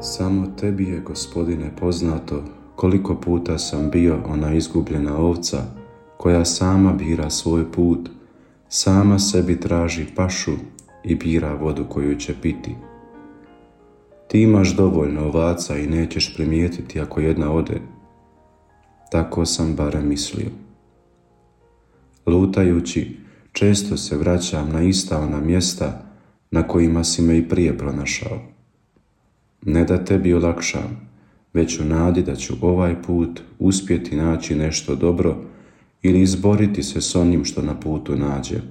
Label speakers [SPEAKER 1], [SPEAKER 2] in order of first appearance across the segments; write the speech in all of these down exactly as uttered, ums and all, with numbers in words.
[SPEAKER 1] Samo tebi je, Gospodine, poznato koliko puta sam bio ona izgubljena ovca koja sama bira svoj put, sama sebi traži pašu i bira vodu koju će piti. Ti imaš dovoljno ovaca i nećeš primijetiti ako jedna ode. Tako sam barem mislio. Lutajući, često se vraćam na ista ona mjesta na kojima si me i prije pronašao. Ne da tebi olakšam, već u nadi da ću ovaj put uspjeti naći nešto dobro ili izboriti se s onim što na putu nađe.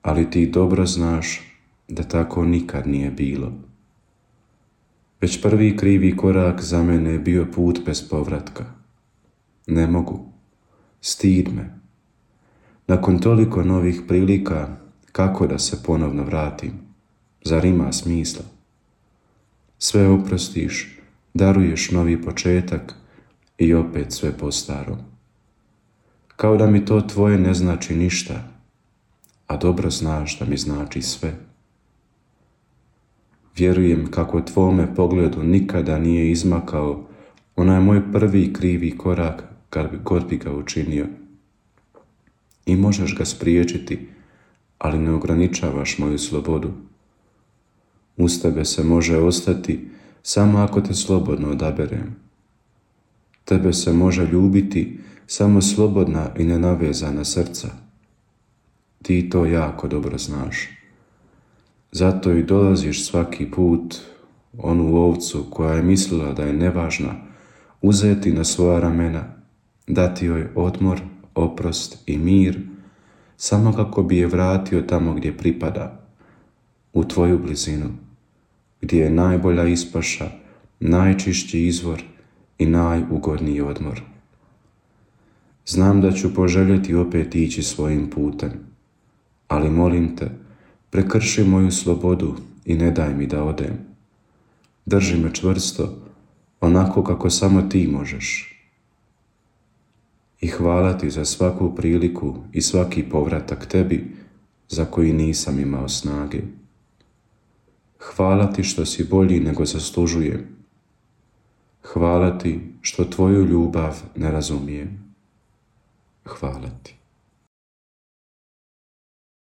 [SPEAKER 1] Ali ti dobro znaš da tako nikad nije bilo. Već prvi krivi korak za mene je bio put bez povratka. Ne mogu. Stid me. Nakon toliko novih prilika, kako da se ponovno vratim? Zar ima smisla? Sve oprostiš, daruješ novi početak i opet sve po starom. Kao da mi to tvoje ne znači ništa, a dobro znaš da mi znači sve. Vjerujem kako tvome pogledu nikada nije izmakao onaj moj prvi krivi korak kad bi god bi ga učinio. I možeš ga spriječiti, ali ne ograničavaš moju slobodu. Uz tebe se može ostati samo ako te slobodno odaberem. Tebe se može ljubiti samo slobodna i nenavezana srca. Ti to jako dobro znaš. Zato i dolaziš svaki put onu ovcu koja je mislila da je nevažna uzeti na svoja ramena, dati joj odmor, oprost i mir, samo kako bi je vratio tamo gdje pripada, u tvoju blizinu, gdje je najbolja ispaša, najčišći izvor i najugodniji odmor. Znam da ću poželjeti opet ići svojim putem, ali molim te, prekrši moju slobodu i ne daj mi da odem. Drži me čvrsto, onako kako samo ti možeš. I hvala ti za svaku priliku i svaki povratak tebi za koji nisam imao snage. Hvala ti što si bolji nego zaslužujem. Hvala ti što tvoju ljubav ne razumijem. Hvala ti.